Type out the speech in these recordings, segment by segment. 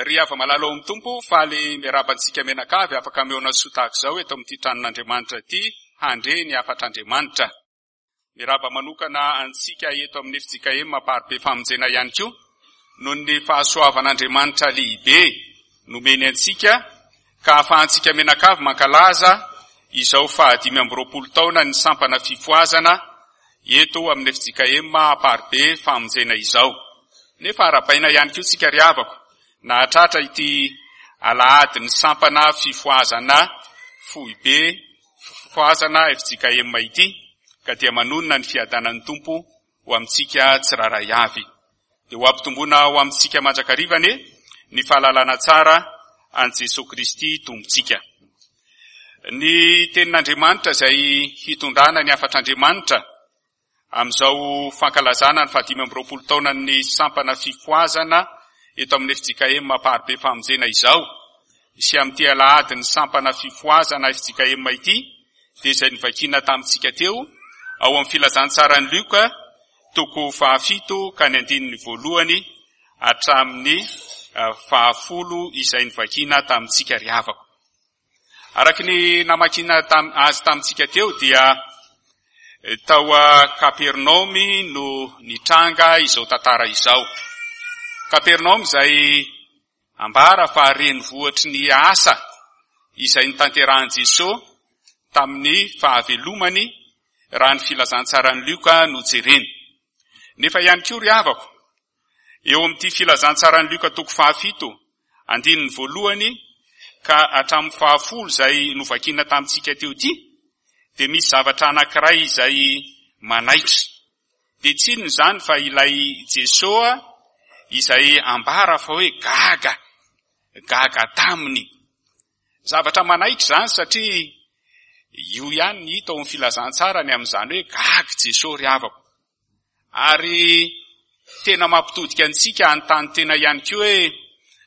Ry hava-malala ao amin'ny Tompo, faly miarahaba antsika mianakavy afaka mihaona soa tahaka izao eto amin'ity tranon'Andriamanitra ity handre ny hafatr'Andriamanitra. Miarahaba manokana antsika eto amin'ny fjkm Amparibe Famonjena ihany koa noho ny fahasoavan'Andriamanitra lehibe nomeny antsika ka ahafahantsika mianakavy mankalaza izao faha-25 taona ny sampana fifohazana eto amin'ny fjkm Amparibe Famonjena izao. Nefa arahabaina ihany koa tsika ry havako nahatratra ity alahadin'ny sampana fifohazana foibe fifohazana fjkm ity ka dia manonona ny fiadanan'ny Tompo ho amintsika tsirairay avy. Dia ho ampitomboina ho amintsika mandrakariva anie ny fahalalana tsara an'i Jesoa Kristy Tompontsika. Ny tenin'Andriamanitra izay hitondrana ny hafatr'Andriamanitra amin'izao fankalazana ny faha-25 taonan'ny sampana fifohazana eto amin'ny fjkm Amparibe Famonjena izao sy amin'ity alahadin'ny sampana fifohazana fjkm ity dia izay novakiana tamintsika teo ao amin'ny filazantsaran'i Lioka toko fahafito ka ny andininy voalohany hatramin'ny fahafolo izay novakiana tamintsika ry havako. Araka ny namakiana azy tamintsika teo dia tao Kapernaomy no nitranga izao tantara izao. Kapernaomy izay ambara fa renivohitry ny asa izay notanterahin'i Jesoa tamin'ny fahavelomany raha ny filazantsaran'i Lioka no jerena. Nefa ihany koa ry havako, eo amin'ity filazantsaran'i Lioka toko fahafito, andininy voalohany ka hatramin'ny fahafolo izay novakiana tamintsika teo ity, dia misy zavatra anankiray izay manaitra. Dia tsy inona izany fa ilay Jesoa izay ambara fa hoe gaga, gaga taminy. Zavatra manaitra izany satria io ihany ny hita ao amin'ny filazantsara ny amin'izany hoe gaga Jesoa ry havako. Ary tena mampitodika antsika hanontany tena ihany koa hoe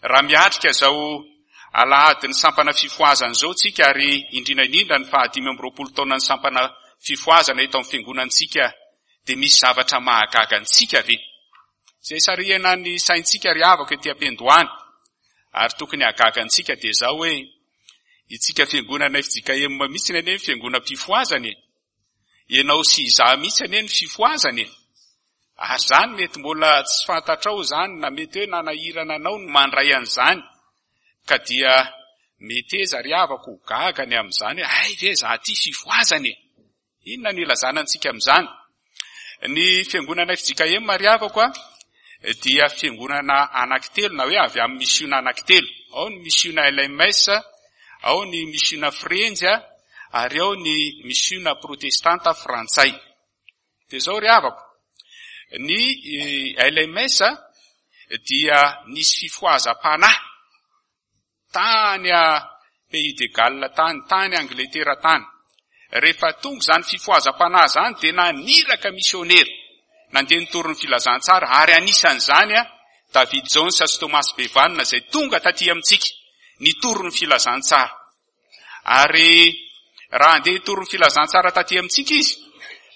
raha miatrika izao alahadin'ny sampana fifohazana izao tsika ary indrindra indrindra ny faha-25 taonan'ny sampana fifohazana eto amin'ny fiangonantsika dia misy zavatra mahagaga antsika ve? Izay sarihana ny saintsika ry havako ety am-piandohana ary tokony hahagaga antsika dia izao hoe itsika fiangonana fjkm mihitsy anie ny fiangonam-pifohazana e! Ianao sy izaho mihitsy anie ny fifohazana e! Ary izany mety mbola tsy fantatrao izany na mety hoe nanahirana anao ny mandray an'izany ka dia meteza ry havako ho gaga ny amin'izany hoe hay ve izaho ity fifohazana e! Inona no ilazana antsika amin'izany? Ny fiangonana fjkm ry havako a dia fiangonana anankitelo na hoe avy amin'ny misiona anankitelo. Ao ny misiona LMS, ao ny misiona Frenjy ary ao ny misiona protestanta frantsay. Dia izao ry havako, ny LMS dia nisy fifohazam-panahy Tany a Pays de Galles tany, tany Angletera tany. Rehefa tonga izany fifohazam-panahy izany dia naniraka misionera nandeha nitory ny filazantsara ary anisan'izany David Jones sy Thomas Bevan izay tonga taty amintsika nitory ny filazantsara. Ary raha handeha hitory ny filazantsara taty amintsika izy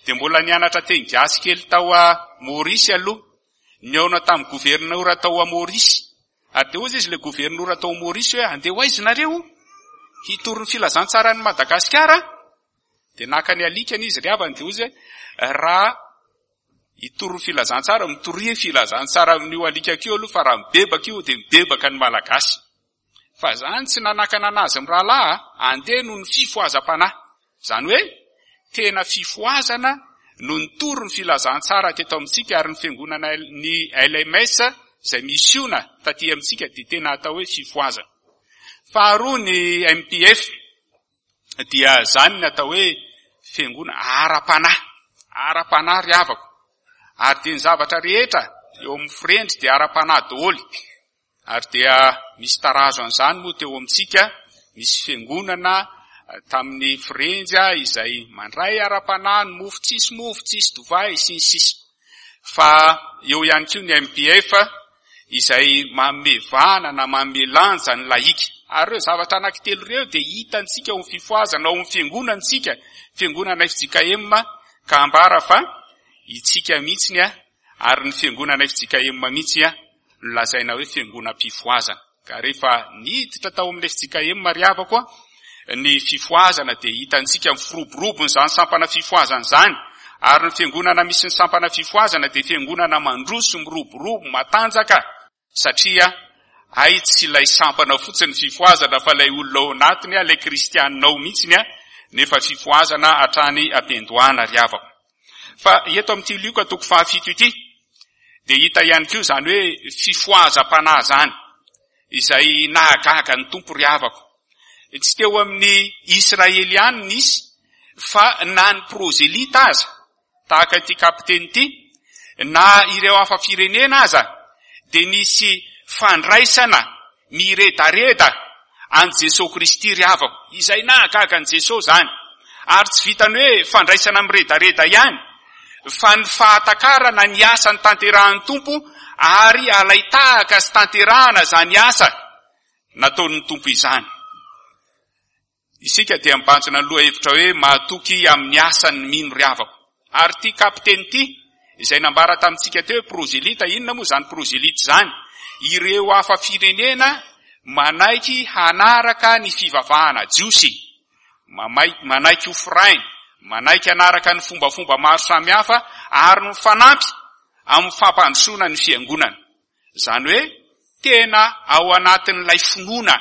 dia mbola nianatra teny gasy kely tao a Maurice aloha. Nihaona tamin'ny governora tao a Maurice. Ary dia hozy izy ilay governora tao Maurice hoe andeha ho aiza nareo? Hitory ny filazantsaran'i Madagasikara? Dia naka ny alikany izy ry havany dia hozy hoe raha hitory ny filazantsara, mitoria filazantsara amin'io alikako io aloha fa raha mibebaka io dia mibebaka ny Malagasy. Fa zany tsy nanakana anazy mirahalahy andeha noho ny fifohazam-panahy. Izany hoe tena fifohazana no nitory ny filazantsara teto amintsika ary ny fiangonana ny LMS izay misiona taty amintsika dia tena atao hoe fifohazana. Faharoa ny MPF dia izany ny atao hoe fiangonana ara-panahy. Ara-panahy ry havako. Ary dia ny zavatra rehetra eo amin'ny firendry dia ara-panahy daholo. Ary dia misy tarazo an'izany moa teo amintsika, misy fiangonana tamin'ny Frenjy izay mandray ara-panahy ny mofo tsisy mofo, tsisy divay, sy ny sisa. Fa eo ihany koa ny MPF izay manome vahana na manome lanja ny lahika. Ary ireo zavatra anankitelo ireo dia hitantsika ao amin'ny fifohazana, ao amin'ny fiangonantsika, fiangonana fjkm, ka ambara fa itsika mihitsy ary ny fiangonana fjkm mihitsy no lazaina hoe fiangonam-pifohazana. Ka rehefa niditra tao amin'ny fjkm ry havako a, ny fifohazana dia hitantsika ny firoborobon'izany sampana fifohazana izany, ary ny fiangonana misy ny sampana fifohazana dia fiangonana mandroso, miroborobo, matanjaka, satria hay tsy ilay sampana fotsiny ny fifohazana fa ilay olona ao anatiny, ilay kristianina ao mihitsiny, nefa fifohazana hatrany am-piandohana ry havako. Fa eto amin'ity Lioka toko fahafito ity dia hita ihany koa izany hoe fifohazam-panahy izany, izay nahagaga ny Tompo ry havako. Tsy teo amin'ny Israely ihany nisy fa na ny prozelita aza, tahaka ity kapiteny ity, na ireo hafa firenena aza dia nisy fandraisana miredareda an'i Jesoa Kristy ry havako. Izay nahagaga an'i Jesoa izany. Ary tsy vitan'ny hoe fandraisana miredareda ihany, fa ny fahatakarana ny asa notanterahan'ny Tompo ary alai-tahaka sy tanterahana izany asa nataon'ny Tompo izany. Isika dia mibanjina ny lohahevitra hoe mahatoky amin'ny asan'ny mino ry havako. Ary ity kapiteny ity, izay nambara tamintsika teo hoe prozelita, inona moa izany prozelita izany? Ireo hafa firenena manaiky hanaraka ny fivavahana jiosy, manaiky ho firainy, manaiky hanaraka ny fombafomba maro samihafa ary mifanampy amin'ny fampandrosoana ny fiangonana. Izany hoe tena ao anatin'ilay finoana.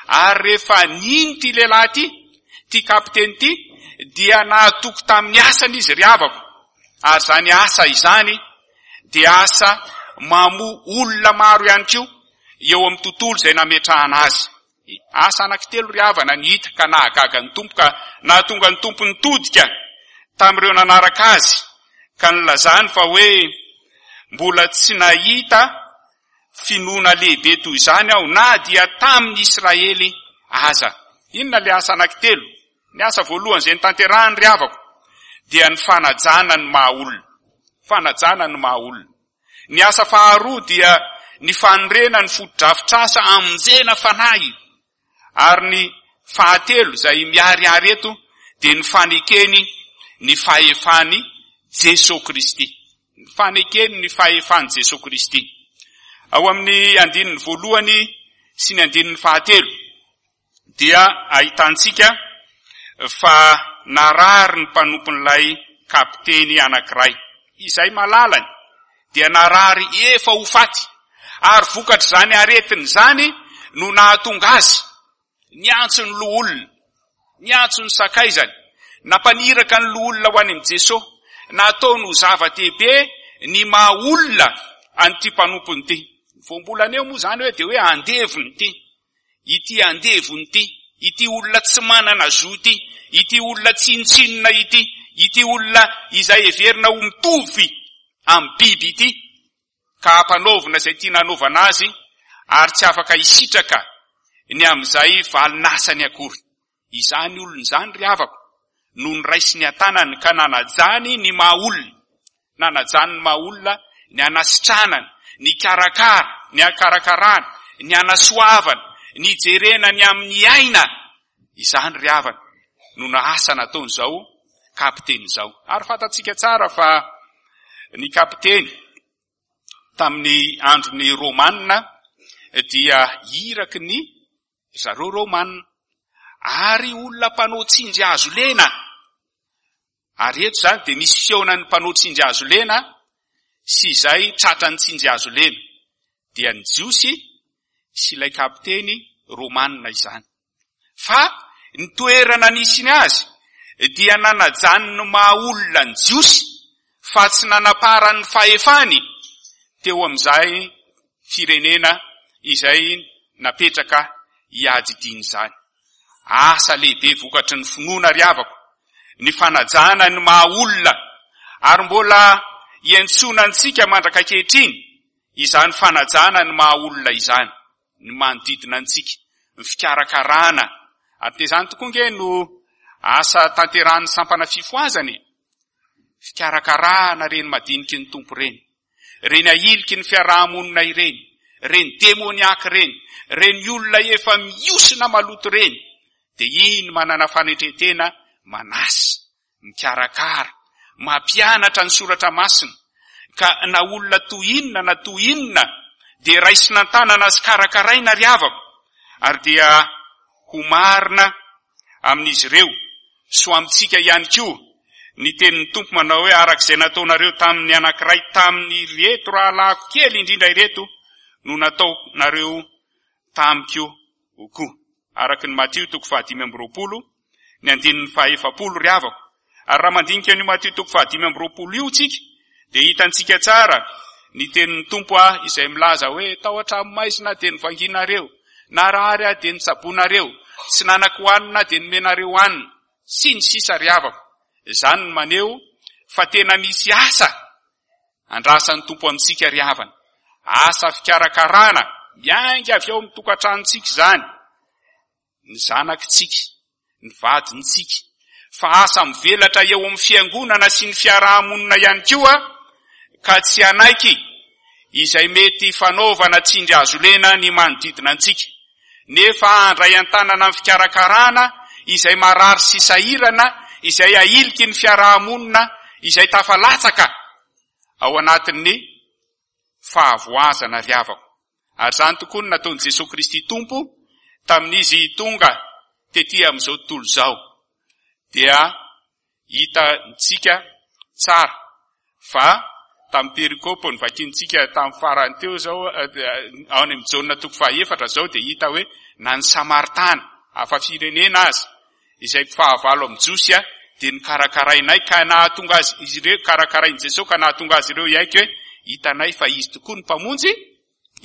Ary rehefa nino ity lehilahy ity, ity kapiteny ity, dia nahatoky tamin'ny asany izy ry havako. Ary izany asa izany dia asa mamoa olona maro ihany koa eo amin'ny tontolo izay nametrahana azy. Asa anankitelo ry havana ny hita ka nahagaga ny Tompo ka nahatonga ny Tompo nitodika tamin'ireo nanaraka azy ka nilazany fa hoe mbola tsy nahita finoana lehibe toy izany aho na dia tamin'ny Israely aza. Inona ilay asa anankitelo? Ny asa voalohany izay notanterahiny ry havako dia ny fanajana ny maha olona. Fanajana ny maha olona. Ny asa faharoa dia ny fanorena ny fotodrafitrasa hamonjena fanahy. Ary ny fahatelo izay miharihary eto dia ny fanekeny ny fahefan'i Jesoa Kristy. Ny fanekeny ny fahefan'i Jesoa Kristy. Ao amin'ny andininy voalohany sy ny andininy fahatelo dia ahitantsika fa narary ny mpanompon'ilay kapiteny anankiray, izay malalany, dia narary efa ho faty, ary vokatr'izany aretiny izany no nahatonga azy niantso ny loholona, niantso ny sakaizany, nampaniraka ny loholona ho any amin'i Jesosy, nataony ho zava-dehibe ny maha olona an'ity mpanompony ity. Voambolana eo moa izany hoe dia hoe andevony ity. ity andevony ity, ity olona tsy manana zo ity, ity olona tsinontsinona ity, ity olona izay heverina ho mitovy amin'ny biby ity, ka ampanaovina izay tiana hanaovana azy ary tsy afaka hisitraka ny amin'izay valin'asany akory. Izany olona izany ry havako no noraisiny an-tanany ka nanajany ny maha olona, nanajany ny maha olona, ny hanasitranany, ny hikarakara, ny hakarakarana, ny hanasoavana, ny hijerena ny amin'ny aina. Izany ry havana no naasa nataon'izao kapiteny izao. Ary fantatsika tsara fa ny kapiteny tamin'ny andron'ny Romana dia iraky ny Zareo Romana, ary olona mpanao tsindry hazo lena. Ary eto izany dia misy fihaonan'ny mpanao tsindry hazo lena sy izay tratran'ny tsindry hazo lena. Dia ny Jiosy sy ilay kapiteny Romana izany. Fa ny toerana nisiny azy dia nanajany ny maha olona ny Jiosy fa tsy nanaparany ny fahefany teo amin'izay firenena izay napetraka hiadidiana izany. Asa lehibe vokatry ny finoana ry havako, ny fanajana ny maha olona, ary mbola iantsoana antsika mandrak'ankehitriny izany fanajana ny maha olona izany, ny manodidina antsika, ny fikarakarana, ary dia izany tokoa nge no asa tanterahan'ny sampana fifohazana e! Fikarakarana ireny madiniky ny Tompo ireny. Ireny ahiliky ny fiaraha-monina ireny, ireny demoniaka ireny, ireny olona efa mihosina maloto ireny, dia iny manana fanetren-tena manasa, mikarakara, mampianatra ny soratra masina, ka na olona toy inona na toy inona. dia raisina an-tanana sy karakaraina ry havako, ary dia ho marina amin'izy ireo sy ho amintsika ihany koa ny tenin'ny Tompo manao hoe araka izay nataonareo tamin'ny anankiray tamin'ireto rahalahiko kely indrindra ireto no nataonareo tamiko koa. Araka ny Matio toko faha-25, ny andininy faha-40 ry havako. Ary raha mandinika an'io Matio toko faha-25 io tsika, dia hitantsika tsara ny tenin'ny Tompo aho izay milaza hoe tao an-trano maizina dia novanginareo, narary aho dia nitsaboinareo, tsy nanan-kohanina aho dia nomenareo hanina, sy ny sisa ry havako. Izany no maneho fa tena misy asa andrasan'ny Tompo amintsika ry havana. Asa fikarakarana miainga avy ao amin'ny tokantranontsika izany. Ny zanakitsika, ny vadintsika, fa asa mivelatra eo amin'ny fiangonana sy ny fiaraha-monina ihany koa ka tsy hanaiky izay mety fanaovana tsindry azo lena ny manodidina antsika, nefa handray an-tanana ny fikarakarana izay marary sy sahirana, izay ahiliky ny fiaraha-monina, izay tafalatsaka ao anatin'ny fahavoazana ry havako. Ary izany tokoa no nataon'i Jesoa Kristy Tompo tamin'izy tonga tety amin'izao tontolo izao. Dia hitantsika tsara fa tamin'ny perikopa novakintsika tamin'ny farany teo izao, ao any amin'ny Jaona toko fahaefatra izao dia hita hoe na ny Samaritana, hafa firenena aza, izay mpifahavalo amin'ny Jiosy dia nokarakarainay ka nahatonga azy izy ireo, karakarain'i Jesoa ka nahatonga azy ireo hiaiky hoe hitanay fa izy tokoa no Mpamonjy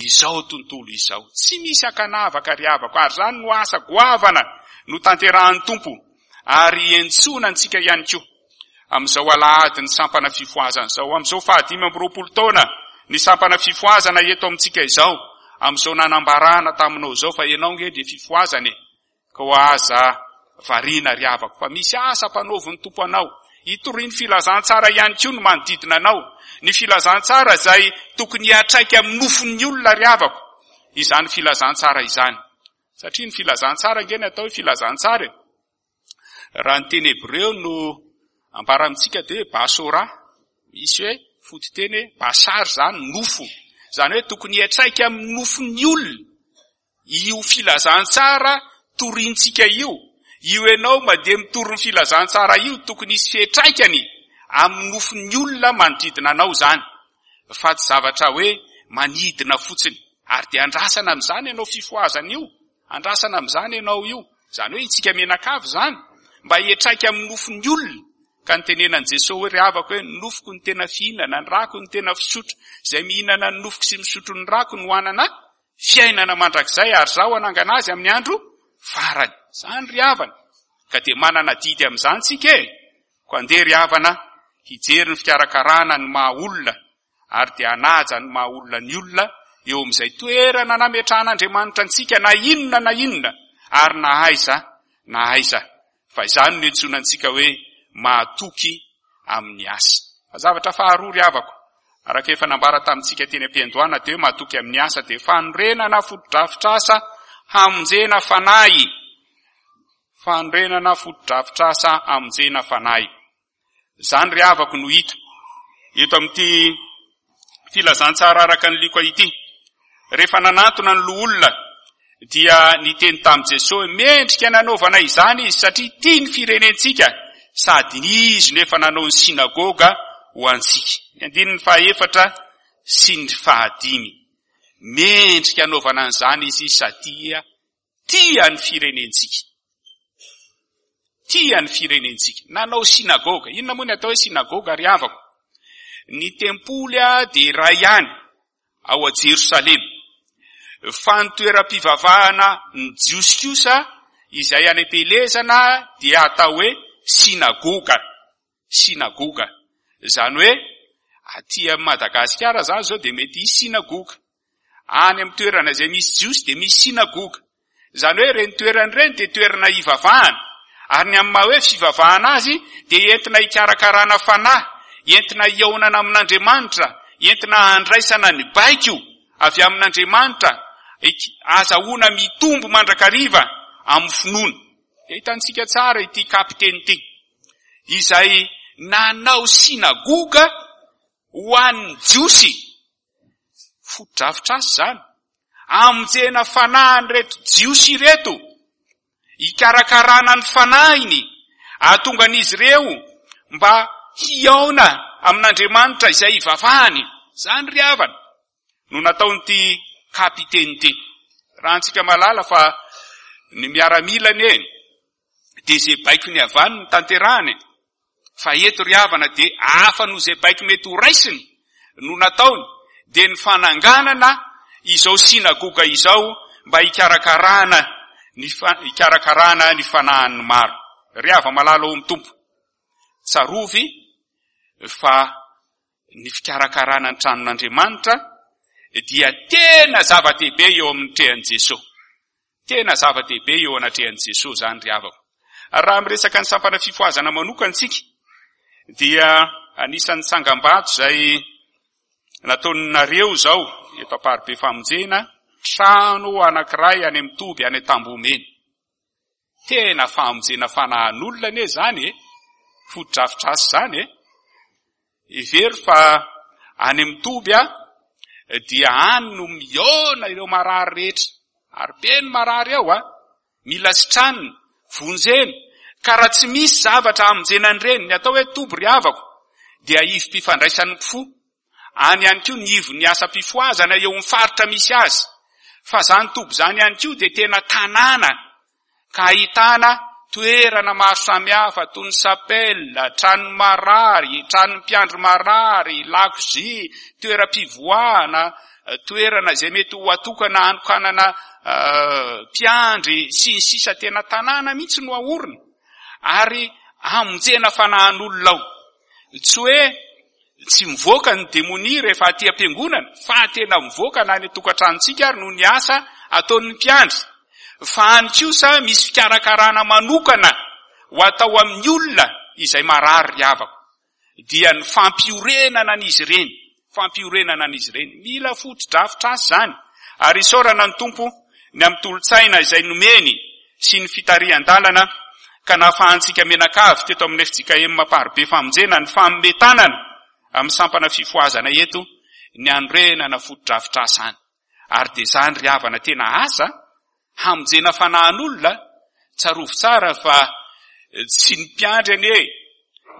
izao tontolo izao. Tsy misy ankanavaka ry havako, ary izany no asa goavana notanterahan'ny Tompo ary iantsoana antsika ihany koa amin'izao alahadin'ny sampana fifohazana izao, amin'izao fahadimy amby roapolo taona ny sampana fifohazana eto amintsika izao, amin'izao nanambarana taminao izao fa ianao nge dia fifohazana e. Koa aza variana ry havako fa misy asa ampanaovin'ny Tompo anao. Hitoriany filazantsara ihany koa ny manodidina anao. Ny filazantsara izay tokony hiantraika amin'ny nofon'ny olona ry havako izany filazantsara izany. Satria ny filazantsara ange ny atao hoe filazantsara e. Raha ny teny hebreo no ambara amintsika dia hoe basora. Misy hoe fototeny hoe basar izany nofo. Izany hoe tokony hiantraika amin'ny nofon'ny olona. Io filazantsara torintsika io, io ianao mandeha mitory ny filazantsara io, tokony hisy fiantraikany amin'ny nofon'ny olona manodidina anao izany, fa tsy zavatra hoe manidina fotsiny. Ary dia andrasana amin'izany ianao fifohazana io, andrasana amin'izany ianao io, izany hoe itsika mianakavy izany, mba hiantraika amin'ny nofon'ny olona. Ka nitenenan'i Jesoa hoe, ry havako hoe, ny nofoko no tena fihinana, ny rako no tena fisotro, izay mihinana ny nofoko sy misotro ny rako no hanana fiainana mandrakizay ary Izaho hanangana azy amin'ny andro farany. Izany ry havana. Ka dia manana adidy amin'izany tsika e! Koa andeha ry havana hijery ny fikarakarana ny maha olona ary dia hanaja ny maha olona ny olona eo amin'izay toerana nametrahan'Andriamanitra antsika na inona na inona ary na aiza na aiza. Fa izany no iantsoana antsika hoe mahatoky amin'ny asa. Fa zavatra faharoa ry havako, araka efa nambara tamintsika teny am-piandohana dia hoe mahatoky amin'ny asa dia fanorenana fotodrafitrasa hamonjena fanahy. Fanorenana fotodrafitrasa hamonjena fanahy. Izany ry havako no hita eto amin'ity filazantsara araka ny Lioka ity. Rehefa nanantona ny loholona dia niteny tamin'i Jesosy hoe mendrika nanaovana izany izy satria tia ny firenentsika sady izy no efa nanao ny synagoga ho antsika. Ny andininy fahaefatra sy ny fahadimy. Mendrika anaovana an'izany izy satria Tia ny firenentsika. Tia ny firenentsika. Nanao synagoga. Inona moa ny atao hoe synagoga ry havako? Ny tempoly dia iray ihany ao a Jerosalema. Fa ny toeram-pivavahana ny Jiosy kosa izay any am-pielezana dia atao hoe synagoga. Synagoga. Izany hoe aty Madagasikara izany izao dia mety hisy synagoga. Any amin'ny toerana izay misy Jiosy dia misy synagoga. Izany hoe ireny toerana ireny dia toerana hivavahana. Ary ny amin'ny maha hoe fivavahana azy dia entina hikarakarana fanahy, entina hihaonana amin'Andriamanitra, entina handraisana ny baiko avy amin'Andriamanitra, azahoana mitombo mandrakariva amin'ny finoana. Dia hitantsika tsara ity kapiteny ity, izay nanao synagoga ho an'ny Jiosy. Fotodrafitrasa izany. Hamonjena fanahin'ireto Jiosy ireto, hikarakarana ny fanahiny, hahatonga an'izy ireo mba hihaona amin'Andriamanitra izay hivavahany. Izany ry havana no nataon'ity kapiteny ity. Raha antsika mahalala fa ny miaramila anie dia izay baikony avy any no tanterahany e. Fa eto ry havana dia hafa noho izay baiko mety ho raisiny no nataony, dia ny fananganana izao synagoga izao mba hikarakarana ny hikarakarana ny fanahin'ny maro. Ry hava-malala ao amin'ny Tompo, tsarovy fa ny fikarakarana ny tranon'Andriamanitra dia tena zava-dehibe eo amin'ny trehan'i Jesosy. Tena zava-dehibe eo anatrehan'i Jesoa izany ry havako. Ary raha miresaka ny sampana fifohazana manokana isika, dia anisan'ny tsangambato izay nataonareo izao eto Amparibe Famonjena, trano anankiray any amin'ny toby any Antambohomena. Tena famonjena fanahin'olona anie izany e! Fotodrafitrasa izany e! Hevero fa any amin'ny toby dia any no mihaona ireo marary rehetra. Ary be ny marary ao a! Mila sitranina, vonjena. Ka raha tsy misy zavatra hamonjena an'ireny, ny atao hoe toby ry havako, dia ivom-pifandraisan'ny mpifoha. Any ihany koa ny ivon'ny asam-pifohazana eo amin'ny faritra misy azy. Fa izany toby izany ihany koa dia tena tanàna ka ahitana toerana maro samihafa toy ny chapelle, tranon'ny marary, tranon'ny mpiandry marary, lakozia, toeram-pivoahana, toerana izay mety ho atokana hanokanana mpiandry sy ny sisa Tena tanàna mihitsy no aorina ary hamonjena fanahin'olona ao. Tsy hoe Tsy mivoaka ny demonia rehefa aty am-piangonana fa tena mivoaka na any an-tokantranontsika ary noho ny asa ataon'ny mpiandry. Fa any kosa misy fikarakarana manokana ho atao amin'ny olona izay marary ry havako. Dia ny fampiorenana an'izy ireny, fampiorenana an'izy ireny. Mila fotodrafitrasa izany. Ary isaorana ny Tompo ny amin'ny tolo-tsaina izay nomeny sy ny fitarihan-dalana ka nahafahantsika mianakavy teto amin'ny fjkm Amparibe Famonjena ny fanome tanana amin'ny sampana fifohazana eto ny hanorenana fotodrafitrasa any. Ary dia izany ry havana tena asa hamonjena fanahin'olona, tsarovy tsara fa tsy ny mpiandry anie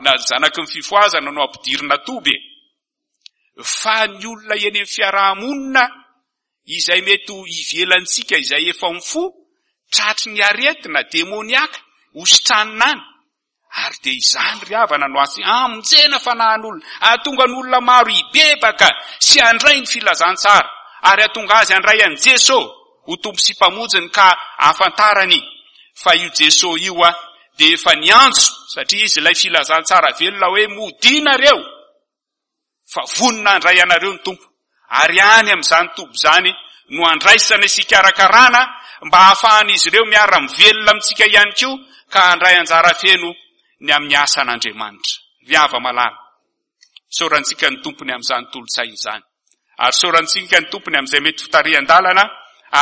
na ny zanaky ny fifohazana no ampidirina toby e! Fa ny olona eny amin'ny fiaraha-monina izay mety ho ivelantsika izay efa mifoha, tratry ny aretina demoniaka, hositranina any. Ary dia izany ry havana no asa hamonjena fanahin'olona, hahatonga ny olona maro hibebaka sy handray ny filazantsara, ary hahatonga azy handray an'i Jeso ho Tompo sy Mpamonjiny ka hahafantarany fa io Jeso io dia efa niantso, satria Izy ilay filazantsara velona hoe modia nareo. fa vonona handray anareo ny Tompo, ary any amin'izany toby izany no handraisana sy hikarakarana mba hahafahan'izy ireo miara-mivelona amintsika ihany koa ka handray anjara feno ny amin'ny asan'Andriamanitra. Ry hava-malala, isaorantsika ny Tompo ny amin'izany tolo-tsaina izany, ary isaorantsika ny Tompo ny amin'izay mety fitarihan-dalana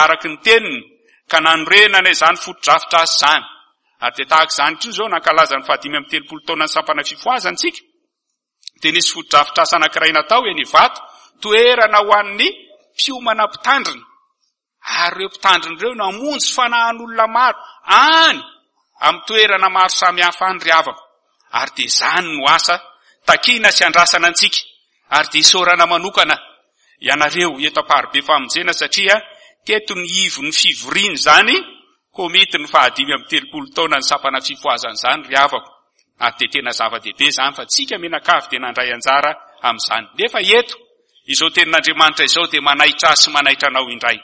araka ny Teniny ka nanorenana izany fotodrafitrasa izany. Ary dia tahaka izany koa izao nankalaza ny fahadimy amby telopolo taonan'ny sampana fifohazana isika, dia nisy fotodrafitrasa anankiray natao eny Ivato, toerana ho an'ny mpiomana mpitandrina. Ary ireo mpitandrina ireo namonjy fanahin'olona maro any amin'ny toerana maro samihafa any ry havako. Ary dia izany no asa takiana sy andrasana antsika. Ary dia isaorana manokana ianareo eto Amparibe Famonjena satria teto ny ivon'ny fivoriana izany Komity ny fahadimy amby telopolo taona ny sampana fifohazana izany ry havako ary dia tena zava-dehibe izany fa tsika mianakavy dia nandray anjara amin'izany. Nefa eto izao tenin'Andriamanitra izao dia manaitra ahy sy manaitra anao indray.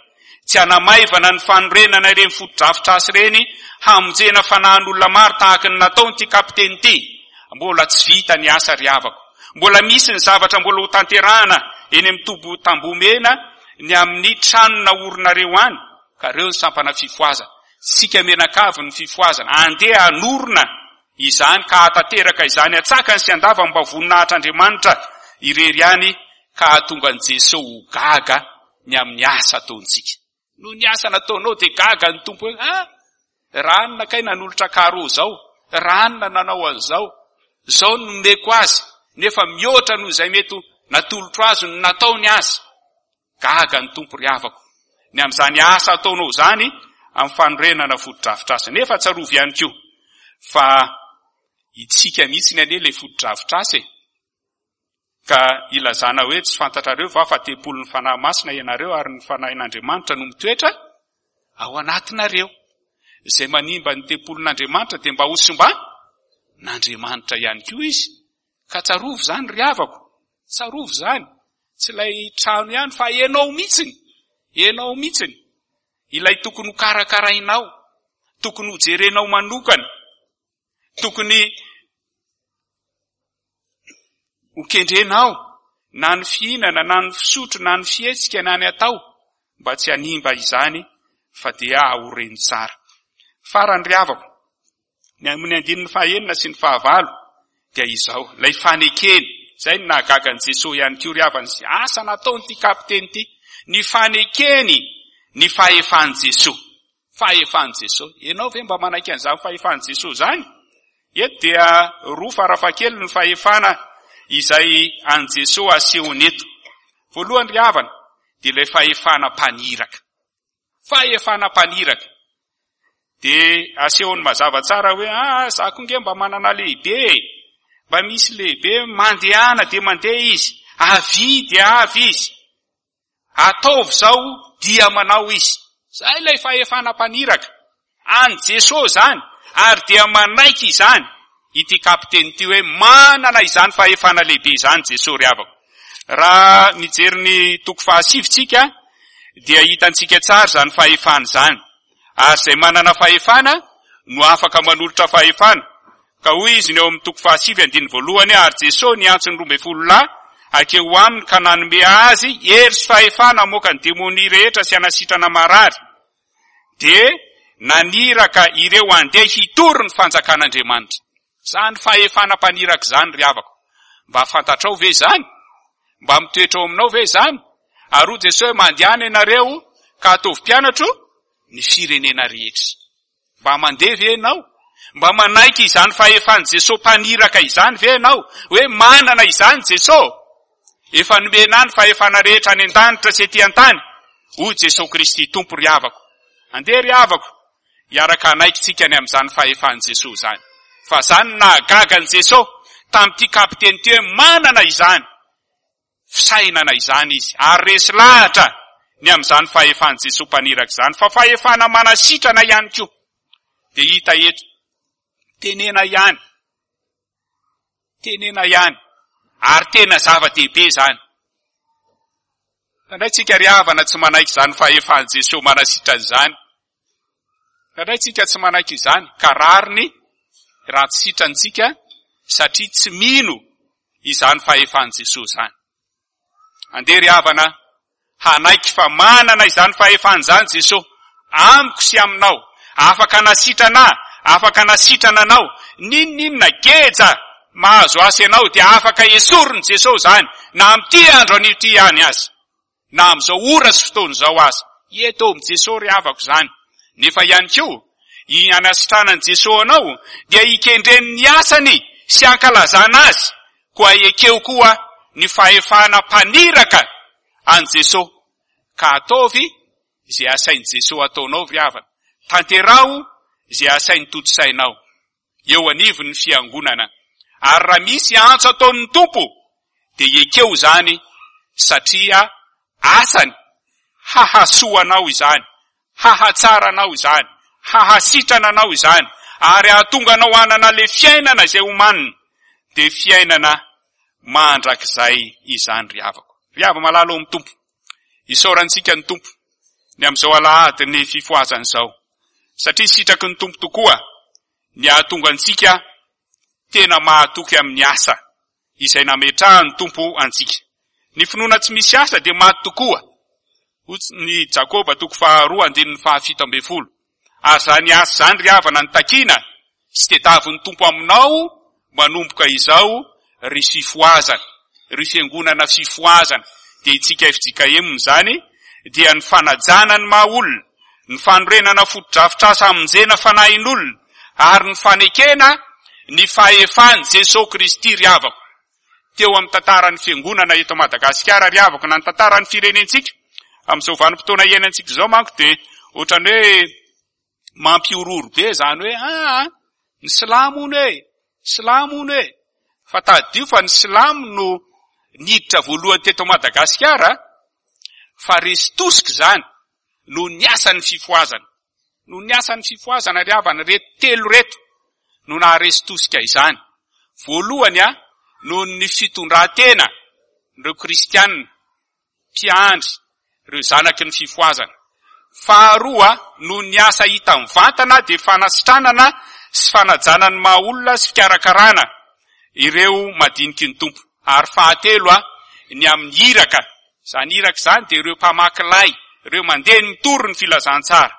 Tsy hanamaivana ny fanorenana ireny fotodrafitrasa ireny hamonjena fanahin'olona maro tahaka ny nataon'ity kapiteny ity. Mbola tsy vita ny asa ry havako. Mbola misy ny zavatra mbola ho tanterahana eny amin'ny toby Tambohomena ny amin'ny trano naorinareo any. Ka reo ny sampana fifohazana. Tsika mianakavy ny fifohazana. Andeha hanorina izany ka hahatanteraka izany antsakany sy andavany mba ho voninahitr'Andriamanitra irery ihany ka hahatonga an'i Jeso ho gaga ny amin'ny asa ataontsika. Noho ny asa nataonao dia gaga ny Tompo hoe, ah, ranona kay nanolotra carreau zao, ranona nanao an'izao, zao no nomeko azy, nefa mihoatra noho izay mety ho natolotro azy no nataony azy. Gaga ny Tompo ry havako ny amin'izany asa ataonao izany amin'ny fanorenana fotodrafitrasa. Nefa tsarovy ihany koa fa itsika mihitsy anie ilay fotodrafitrasa e. Ka ilazana hoe tsy fantatrareo va fa tempolin'ny Fanahy Masina ianareo ary ny Fanahin'Andriamanitra no mitoetra ao anatinareo. Izay manimba ny tempolin'Andriamanitra dia mba ho simban'Andriamanitra ihany koa izy. Ka tsarovy izany ry havako, tsarovy izany. Tsy ilay trano ihany fa ianao mihitsiny, ianao mihitsiny. Ilay tokony ho karakarainao, tokony ho jerenao manokana, tokony ho kendrenao na ny fihinana na ny fisotro na ny fihetsika na ny atao mba tsy hanimba izany fa dia aoreno tsara. Farany ry havako, ny amin'ny andininy fahaenina sy ny fahavalo dia izao, ilay fanekeny, izay no nahagaga an'i Jesoa ihany koa ry havana, izay asa nataon'ity kapiteny ity, ny fanekeny ny fahefan'i Jesoa. Fahefan'i Jesoa. Ianao ve mba manaiky an'izany fahefan'i Jesoa izany? Eto dia roa farafahakeliny ny fahefana izay an'i Jesoa asehony eto. Voalohany ry havana, dia ilay fahefana mpaniraka. Fahefana mpaniraka. Dia asehony mazava tsara hoe, ah, za koa nge mba manana lehibe e. Mba misy lehibe mandehana dia mandeha izy, avia dia avy izy. Ataovy izao dia manao izy. Izay ilay fahefana mpaniraka. An'i Jesoa izany ary dia manaiky izany ity kapiteny ity hoe manana izany fahefana lehibe izany Jesoa ry havako. Raha mijery ny toko fahasivy tsika dia hitantsika tsara izany fahefana izany. Ary izay manana fahefana no afaka manolotra fahefana. Ka hoy izy ny ao amin'ny toko fahasivy andininy voalohany, Ary Jesoa niantso ny 12 lahy hankeo aminy ka nanome azy hery sy fahefana hamoaka ny demonia rehetra sy hanasitrana marary. Dia naniraka ireo handeha hitory ny fanjakan'Andriamanitra. Izany fahefana mpaniraka izany ry havako. Mba fantatrao ve izany? Mba mitoetra ao aminao ve izany? Ary hoy Jesoa hoe mandehana ianareo ka ataovy mpianatro ny firenena rehetra. Mba mandeha ve ianao? Mba manaiky izany fahefan'i Jesoa mpaniraka izany ve ianao? Hoe manana izany Jesoa? Efa nomena ahy ny fahefana rehetra any an-danitra sy ety an-tany, hoy Jesoa Kristy Tompo ry havako. Andeha ry havako, hiaraka hanaiky tsika ny amin'izany fahefan'i Jesoa izany. Fa izany no nahagaga an'i Jesoa tamin'ity kapiteny ity hoe manana izany fisainana izany izy ary resy lahatra ny amin'izany fahefan'i Jesoa mpaniraka izany fa fahefana manasitrana ihany koa dia hita eto tenena ihany tenena ihany ary tena zava-dehibe izany Indraindray tsika ry havana tsy manaiky izany fahefan'i Jesoa manasitrana izany. Indraindray tsika tsy manaiky izany ka rariny raha tsy sitrantsika satria tsy mino izany fahefan'i Jesoa izany. Andeha ry havana hanaiky fa manana izany fahefana izany Jesoa amiko sy aminao. Afaka hanasitrana ahy, afaka hanasitrana anao. N'inon'inona geja mahazo asa ianao dia afaka esorin'i Jesoa izany na amin'ity andro anio ity ihany aza. Na amin'izao ora sy fotoana izao aza. Eto amin'i Jesoa ry havako izany. Nefa ihany koa, ny hanasitranan'i Jesoa anao dia hikendreny ny asany sy hankalazana azy. Koa ekeo koa ny fahefana mpaniraka an'i Jesoa ka ataovy izay asain'i Jesoa ataonao ry havana. Tanteraho izay asainy tontosainao eo anivon'ny fiangonana. Ary raha misy antso ataon'ny Tompo dia ekeo izany satria asany hahasoa anao izany, hahatsara anao izany, hahasitrana anao izany ary hahatonga anao hanana ilay fiainana izay omanina dia fiainana mandrakizay izany ry havako. Ry hava-malala ao amin'ny Tompo. Isaorantsika ny Tompo ny amin'izao alahadin'ny fifohazana izao, satria sitraky ny Tompo tokoa ny hahatonga antsika tena mahatoky amin'ny asa izay nametrahan'ny Tompo antsika. Ny finoana tsy misy asa dia maty tokoa, hoy ny Jakoba toko faharoa andininy fahafito ambin'ny folo. Ary izany asa izany ry havana no takiana sy tediavin'ny Tompo aminao manomboka izao ry fifohazana, ry fiangonana fifohazana, dia itsika fjkm izany dia ny fanajana ny maha olona, ny fanorenana fotodrafitrasa hamonjena fanahin'olona ary ny fanekena ny fahefan'i Jesoa Kristy ry havako. Teo amin'ny tantaran'ny fiangonana eto Madagasikara ry havako na ny tantaran'ny firenentsika. Amin'izao vanim-potoana iainantsika izao manko dia ohatran'ny hoe mampihorohoro be izany hoe aa ny silamo hono e, silamo hono e. Fa tadidio fa ny silamo no niditra voalohany teto Madagasikara fa resy tosika izany noho ny asan'ny fifohazana. Noho ny asan'ny fifohazana ry havana, ireto telo ireto no naharesy tosika izany. Voalohany a, noho ny fitondran-tena ireo kristiana mpiandry ireo zanaky ny fifohazana. Faharoa, noho ny asa hita mivantana dia fanasitranana sy fanajana ny maha olona sy fikarakarana ireo madiniky ny Tompo. Ary fahatelo, ny amin'ny iraka. Izany iraka izany dia ireo mpamaky lay, ireo mandeha mitory ny filazantsara.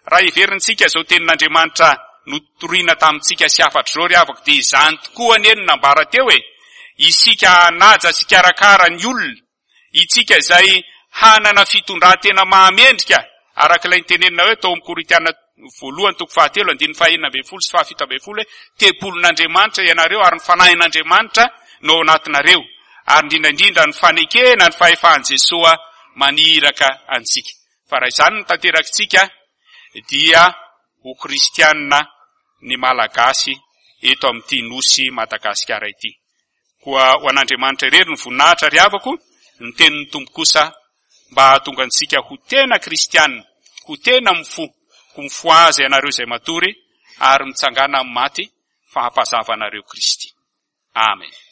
Raha heverintsika izao tenin'Andriamanitra notorina tamintsika sy hafatra izao ry havako dia izany tokoa anie no nambara teo e! Isika hanaja sy hikarakara ny olona, itsika izay hanana fitondran-tena mahamendrika araka ilay nitenenina hoe tao amin'ny Korintiana voalohany toko fahatelo andininy fahenina ambin'ny folo sy fahafito ambin'ny folo hoe tempolin'Andriamanitra ianareo ary ny fanahin'Andriamanitra no ao anatinareo ary indrindra indrindra ny fanekena ny fahefan'i Jesoa maniraka antsika. Fa raha izany no tanterakitsika dia ho kristianina ny Malagasy eto amin'ity nosy Madagasikara ity. Koa ho an'Andriamanitra irery ny voninahitra ry havako, ny tenin'ny Tompo kosa mba hahatonga antsika ho tena kristiana, ho tena mifoha, ho mifohaza ianareo izay matory ary mitsangàna amin'ny maty fa hampazava anareo Kristy. Amen.